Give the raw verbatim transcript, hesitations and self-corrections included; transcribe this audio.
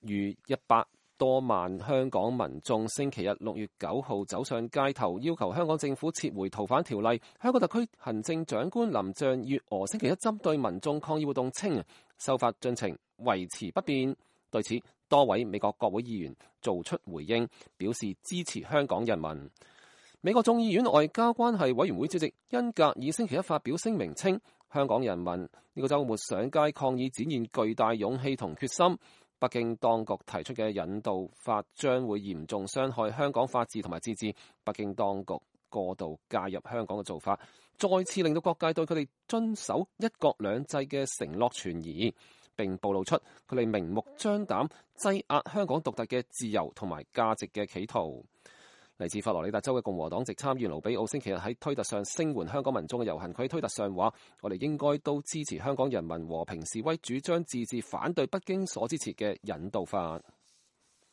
逾一百多萬香港民眾星期日六月九號走上街頭，要求香港政府撤回逃犯條例。香港特區行政長官林鄭月娥星期一針對民眾抗議活動稱，修法進程維持不變。對此，多位美國國會議員做出回應，表示支持香港人民。美國眾議院外交關係委員會主席恩格爾星期一發表聲明稱，香港人民呢個週末上街抗議展現巨大勇氣同決心。北京當局提出嘅引渡法將會嚴重傷害香港法治同埋自治。北京當局過度介入香港嘅做法，再次令到各界對佢哋遵守一國兩制嘅承諾存疑，並暴露出佢哋明目張膽擠壓香港獨特嘅自由同埋價值嘅企圖。嚟自佛羅里達州嘅共和黨籍參議員盧比奧星期日喺推特上聲援香港民眾嘅遊行，佢喺推特上話：我哋應該都支持香港人民和平示威，主張自治，反對北京所支持嘅引渡法。